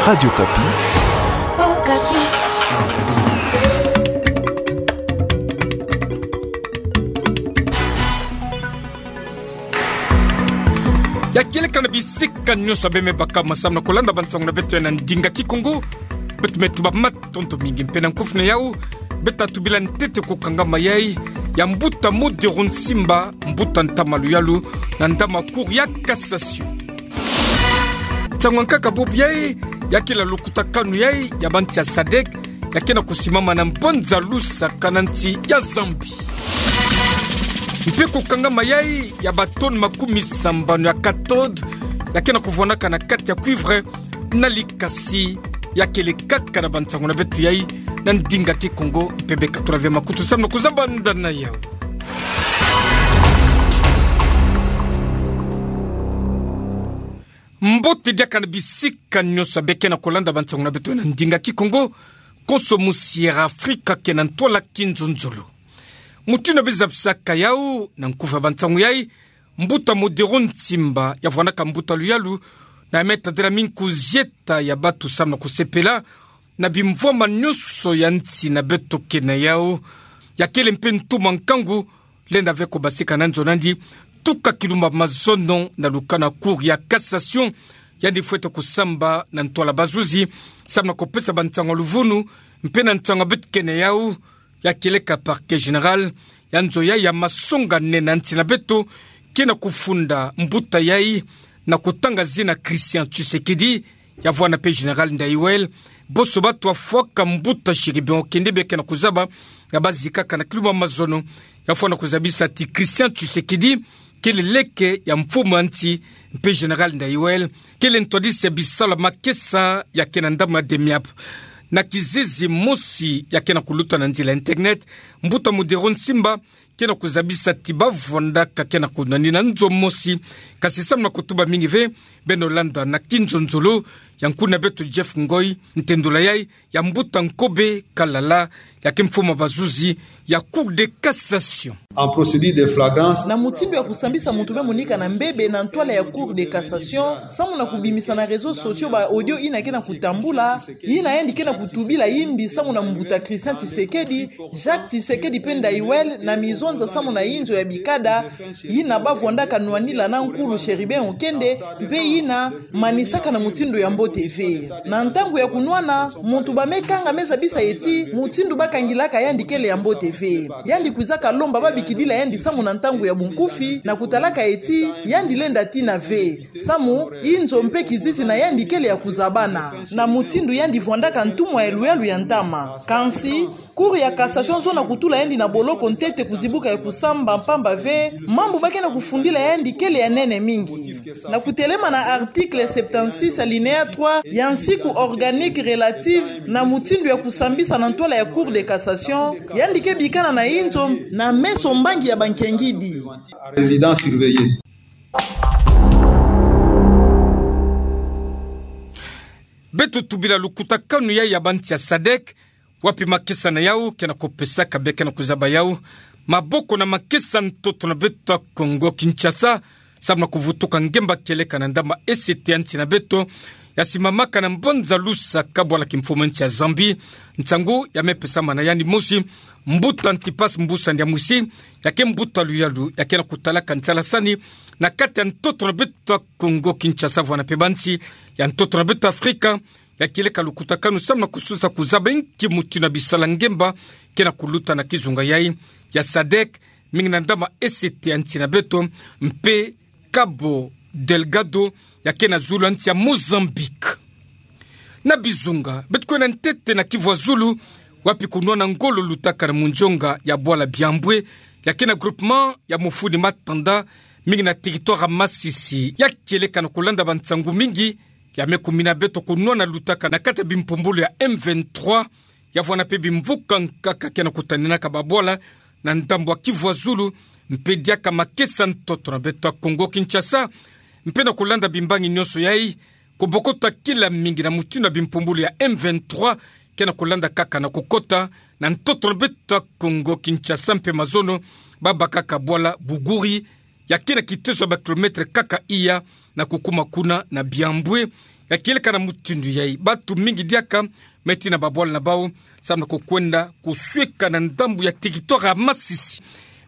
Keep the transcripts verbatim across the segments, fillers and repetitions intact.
Radio Okapi. Ya kieleka na bisika nyonso abe me baka masamu na kolanda bansangu na beto ya na ndinga Kikongo. Beto me tuba matondo mingi mpe na nkufi na yau. Beto tubila ntete ko kanga mayai ya mbuta Modero Nsimba, mbuta ntama luyalu na ndama Cour ya Cassation. Nsangu ya nkaka bobo yai, ya kele lukutakanu yai ya bansi ya sadek, ya ke na kusimama na mbanza Lusaka na nsi ya Zambie. Mpe ko kanga mayai ya ba tonnes makumi sambanu ya cathode, ya ke na kuvwanaka na kati ya cuivre, na likasi. Ya kele kaka na bansangu na beto yai na ndinga Kikongo, mpe be katula ve makutu samu na kuzabanda na yau. Mbote diaka na bisika nyonso abe ke na kolanda bansangu na beto na ndinga Kikongo, konso musi ya Afrika ke na ntwala kinzonzolo. Mutindu abe zabisaka yau na nkufi ya bansangu yai, mbuta Modero Nsimba, ya vwanaka mbuta luyalu, na me tadila minkuzieta ya batu samu na kusepela na bimvwama nyonso ya nsi na beto ke na yau. Ya kele mpe ntumwa nkangu, lenda ve ko basika na nzo nandi, tuka kilumbu ya mazono na lukana Cour ya Cassation, yandi fwete kusamba na ntwala bazuzi samu na kupesa bansangu ya luvunu, mpe na nsangu ya beto ke na yau, ya kieleka Parquet Général, ya nzo yai ya masonga nene ya nsi na beto, ke na kufunda mbuta yai na kutanga zina Christian Tshisekedi, ya vwanda mpe Général Ndayuel, bonso batu bafwaka mbuta Chérubin Okende be ke na kuzaba ya bazi kaka na kilumbu ya mazono, ya fwana kuzabisa ti Christian Tshisekedi kele leke ya mfumu ya nsi, mpe Général Ndayuel kele ntwadisi ya bisalu ya makesa ya ke na ndambu ya DEMIAP. Na kizizi mosi ya ke na kuluta na nzila ya internet, mbuta Modero Nsimba ke na kuzabisa ti bavwandaka ke na kunwanina nzo mosi, kasi samu na kutuba mingi ve, beno landa na kinzonzolo ya nkuna beto Jeff Ngoy, ntendula yai ya mbuta Nkobe Kalala, ya ke mfumu ya bazuzi ya Cour de Cassation. En procédure de flagrance. Na mutindu ya kusambisa muntu me monika na mbebe na ntwala ya Cour de Cassation, samu na kubimisa na réseaux sociaux ba audio yina ke na kutambula, yina yandi ke na kutubila yimbi samu na mbuta Christian Tshisekedi, Jacques Tshisekedi mpe Ndayuel, na mizonza samu na yinzo ya bikada, yina bavwandaka nwanila na nkulu Chérubin Okende, mpe yina manisaka na mutindu ya mbote ve. Na ntangu ya kunwana, muntu ba me kanga me zabisa ye ti mutindu bakangilaka yandi kele ya mbote ve. Yandi kwizaka lomba babikidila yandi samu na ntangu ya bunkufi, na kutalaka ye ti yandi lenda tina ve, samu yinzo mpe kizizi na yandi kele ya kuzabana, na mutindu yandi vwandaka ntumwa ya luyalu ya ntama. Kansi, Cour ya Cassation zo na kutula yandi na boloko ntete kuzibuka ya kusamba, mpamba ve mambu ba ke na kufundila yandi kele ya nene mingi. Na kutelema na article septante-six alinéa trois ya nsiku organique relative na mutindu ya kusambisa na ntwala ya Cour de Cassation, yandi ke bikana na yinzo na meso mbangi ya bankengidi. Résidence surveillée. Beto tubila lukutakanu yai ya bansi ya sadek, wapi makesa na yau ke na kupesaka be ke na kuzaba yau maboko na makesa ntoto na beto ya Kongo Kinshasa, samu na kuvutuka ngemba kieleka na ndambu ya E C T ya nsi na beto, ya simamaka na mbanza Lusaka, bwala kimfumu ya nsi ya Zambie. Nsangu ya me pesama na yandi mosi, mbuta Antipas Mbusa Ndiamwisi, ya ke mbuta luyalu ya ke na kutalaka nsalasani na kati ya ntoto na beto ya Kongo Kinshasa, vwanda mpe bansi ya ntoto na beto Afrika, ya kieleka lukutakanu samu na kusosa kuzaba inki mutindu ya bisalu ya ngemba ke na kuluta na kizunga yai ya sadek, mingi na ndambu ya E C T ya nsi na beto, mpe Cabo Delgado, ya ke na zulu ya nsi ya Mozambique. Na bizunga, beto kwenda ntete na Kivu ya Zulu, wapi kunwana ngolo lutaka na munzonga ya bwala Biambwe, ya ke na groupement ya Mufuni Matanda, mingi na territoire ya Masisi. Ya kieleka na kulanda bansangu mingi ya me kumina beto, kunwana lutaka na kati ya bimpumbulu ya M vingt-trois, ya vwanda mpe bimvuka nkaka ke na kutaninaka babwala na ndambu ya Kivu ya Zulu, mpe diaka makesa ntoto na beto ya Kongo Kinshasa, mpe na kulanda bimbangi nyonso yai, kubokota kila mingi na mutindu ya bimpumbulu ya M vingt-trois ke na kulanda kaka na kukota na ntoto na beto ya Kongo Kinshasa, mpe mazono babakaka bwala Buguri, ya ke na kiteso ya ba kilomètre kaka iya na kukuma kuna na Biambwe, Ya kieleka na mutindu yai, batu mingi diaka me tina babwala na bau, samu na kukwenda kusweka na ndambu ya tiki tora masisi.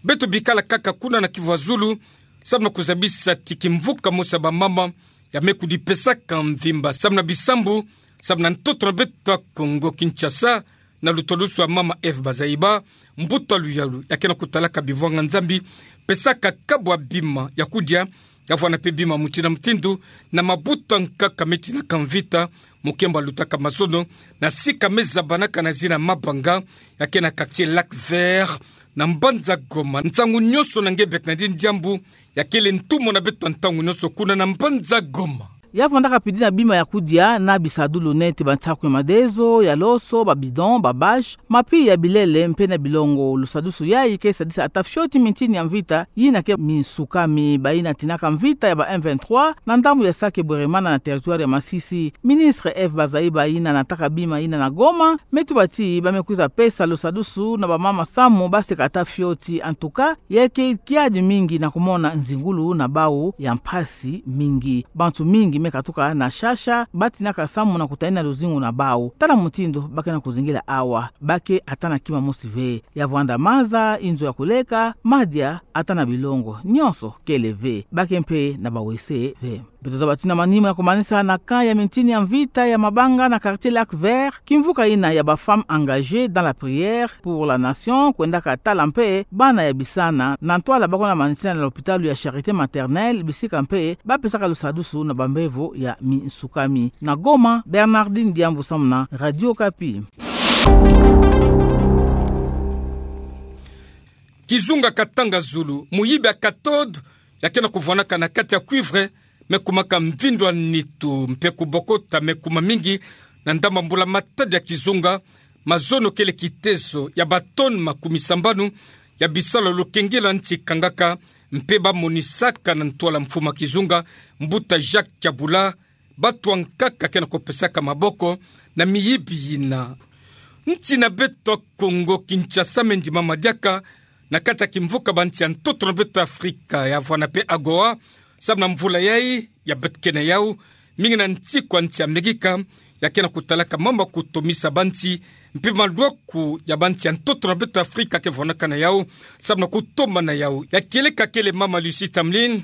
Beto bikala kaka kuna na Kivu ya Zulu, samu na kuzabisa ti kimvuka mosi ya bamama ya me kudipesaka mvimba samu na bisambu, samu na ntoto na beto ya Kongo Kinshasa, na lutwadusu ya mama Eve Bazaiba, mbuta luyalu ya ke na kutalaka bivwanga Nzambi, pesaka kabu ya bima ya kudia, ya vwanda mpe bima mutindu na mutindu, na mabuta nkaka me tinaka mvita, mokembo ya lutaka mazono, na sika me zabanaka na zina Mabanga, ya ke na quartier Lac Vert, na mbanza Goma. Nsangu nyonso na nge Bernardine Diambu, ya kele ntumwa na beto ntangu nyonso kuna na mbanza Goma. Ya vwandaka pidi na bima ya kudia na bisadulu neti bansaku ya madezo, ya loso, ba bidon, ba bâche, mapi ya bilele mpe na bilongo. Lusadusu yai ke sadisa ata fioti mintini ya mvita yina ke minsukami. Bayina tinaka mvita ya ba M vingt-trois na ndambu ya Sake Bweremana na territoire ya Masisi. Ministre Eve Bazaiba, yina nataka bima yina na Goma, me tuba ti ba me kwiza pesa lusadusu na bamama samu ba seka ata fioti. En tout cas, ya ke kiadi mingi na kumona nzingulu na bau ya mpasi mingi. Bantu mingi me katuka na shasha, ba tinaka samu na kutanina luzingu na bau. Tala mutindu ba ke na kuzingila awa, ba ke ata na kima mosi ve. Ya vwanda maza, inzo ya kuleka, madia, ata na bilongo nyonso kele ve. Ba ke mpe na bawese ve. Beto zaba ti na manima ya kumanisa na camp ya mintini ya mvita ya Mabanga na quartier Lac Vert, kimvuka yina ya ba Femmes engagées dans la prière pour la nation kwendaka tala mpe bana ya bisana. Na ntwala ba kwenda manisina na lopitalo ya Charité Maternelle, bisika mpe ba pesaka lusadusu na bambevo ya minsukami. Na Goma, Bernardine Diambu samu na Radio Okapi. Kizunga Katanga Zulu, muyibi ya cathode ya ke na kuvwanaka na kati ya cuivre, me kumaka mvindu ya nitu mpe kubokota, me kuma mingi na ndambu ya mbula matadi ya kizunga. Mazono kele kitezo ya ba tonnes makumi sambanu ya bisalu ya lokengelo ya nsi kangaka, mpe ba monisaka na ntwala mfumu ya kizunga, mbuta Jacques Tiabula, bato ya nkaka ke na kupesaka maboko na miyibi yina. Nsi na beto ya Kongo Kinshasa me ndimama diaka na kati ya kimvuka bansi ya ntoto na beto ya Afrika, ya vwanda mpe AGOA, samu na mvula yai ya beto ke na yau, mingi na nsiku ya nsi ya Amerika ya ke na kutalaka mambu ya kutomisa bansi, mpe malwaku ya bansi ya ntoto na beto ya Afrika ke vwandaka na yau samu na kutomana yau. Ya kieleka kele mama Lucie Tamlyn,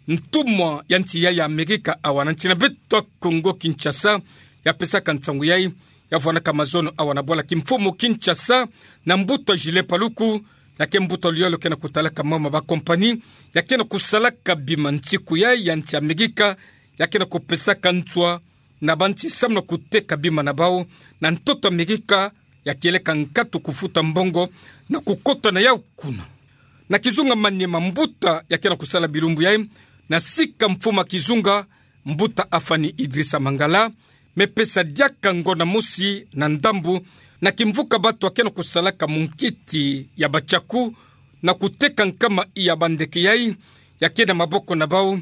ntumwa ya nsi yai ya Amerika awa na nsi na beto ya Kongo Kinshasa, ya pesaka nsangu yai. Ya vwandaka mazono awa na bwala kimfumu Kinshasa na mbuta Julien Paluku, ya ke mbuta luyalu ke na kutalaka mambu ya ba compagnie ya ke na kusalaka bima nsiku yai ya nsi ya Amerika, ya ke na kupesaka nswa na bansi samu na kuteka bima na bau na ntoto Amerika. Ya kieleka nkatu kufuta mbongo na kukota na yau kuna. Na kizunga Maniema, mbuta ya ke na kusala bilumbu yai na sika mfumu ya kizunga, mbuta Afani Idrissa Mangala, me pesa diaka ngonda mosi na ndambu na kimvuka bato ya ke na kusalaka munkiti ya ba tiaku na kuteka nkama ya ba ndeke yai ya ke na maboko na bau.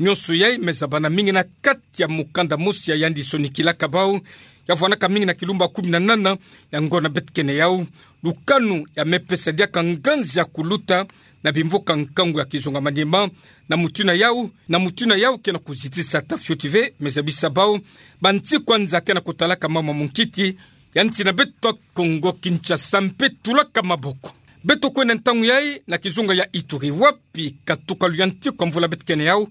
Nyonso yai me zabana mingi na kati ya mukanda mosi ya yandi sonikilaka bau, ya vwandaka mingi na kilumbu ya kumi na nana ya ngonda beto ke na yau. Lukanu ya me pesa diaka nganzi ya kuluta na bimvuka nkangu ya kizunga Maniema, na mutindu yau, na mutindu yau ke na kuzitisa ata fioti ve, me zabisa bau, ba nsiku ya nza ke na kutalaka mambu ya munkiti ya nsi na beto ya Kongo Kinshasa mpe tulaka maboko. Beto kwenda ntangu yai na kizunga ya Ituri, wapi katuka luyantiku ya mvula beto ke na yau,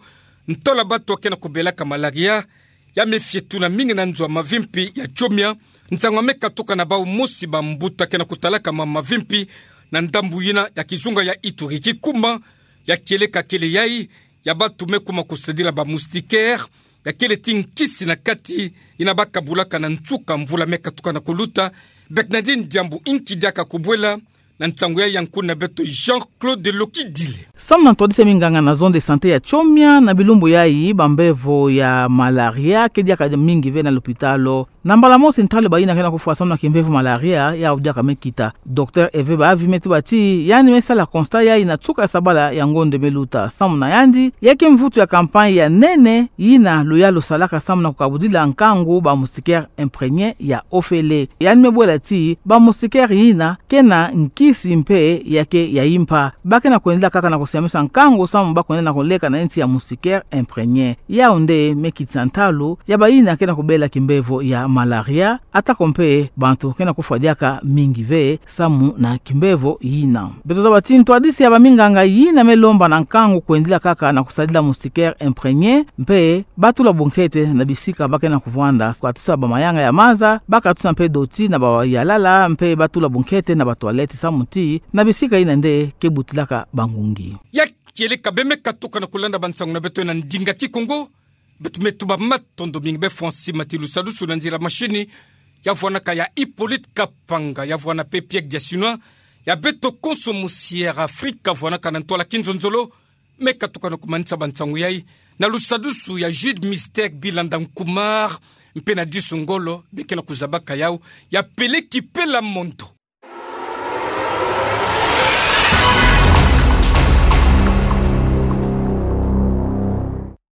ntola bato ya ke na kubelaka malaria ya me fietuna mingi na nzo ya mavimpi ya Tchomia. Nsangu ya me katuka na bau mosi ba mbuta ke na kutalaka mambu ya mavimpi na ndambu yina ya kizunga ya Ituri. Kikuma ya kieleka kele yai ya bato me kuma kusadila ba moustiquaire, ya kele ti nkisi na kati, yina ba kabulaka na nsuka mvula me katuka na kuluta. Bernardine Diambu, inki diaka kubwela na nsangu yai ya nkuna beto Jean-Claude Lokidile. Samu na ntwadisi ya minganga na zone de santé ya Tchomia, na bilumbu yai ba mbevo ya malaria ke diaka mingi ve na lopitalo. Na mbala mosi ntalu bayina ke na kufwa samu na kimbevo malaria, ya udiaka me kita. Docteur Eve Baavi me tuba ti, yandi me sala constat yayi na tsuka sabala ya ngonde me luta. Samu na yandi, ye kimvutu ya campagne ya nene, yina luyalu salaka samu na kukabudila nkangu ba moustiquaire imprégné ya ofele. Yandi me bwela ti, ba moustiquaire yina, ke na nkisi mpe ya ke ya impa. Ba ke na kwendila kaka na kusiamisa nkangu samu ba kwenda na kuleka na nti ya moustiquaire imprégné. Yau nde me kitisa ntalu ya bayina ke na kubela kimbevo ya malaria, atako mpe bantu ke na kufwa diaka mingi ve samu na kimbevo yina. Beto zaba ti ntwadisi ya baminganga yina me lomba na nkangu kwendila kaka na kusadila moustiquaire imprégné, mpe ba tula bunkete na bisika ba ke na kuvwanda, katusa ba mayanga ya maza, ba katusa mpe doti na ba yalala, mpe ba tula bunkete na ba toilette samu ti, na bisika yina nde ke butilaka bangungi. Ya kieleka bê me katuka na kulanda bansangu na beto na ndinga Kikongo, beto me tuba matondo mingi bê fwa nsi mati lusadusu na nzila mashini, ya vwanaka ya Hippolyte Kapanga, ya vwana mpe Pierre Diasinois, ya beto konso mosi Air Afrique, vwanaka na ntwala kinzonzolo, me katuka na kumanisa bansangu yayi, na lusadusu ya Jude Mystère Bilanda Nkumar, mpe na disu ngolo, bê ke na kuzabaka yau, ya Pelé Kipela Mondo.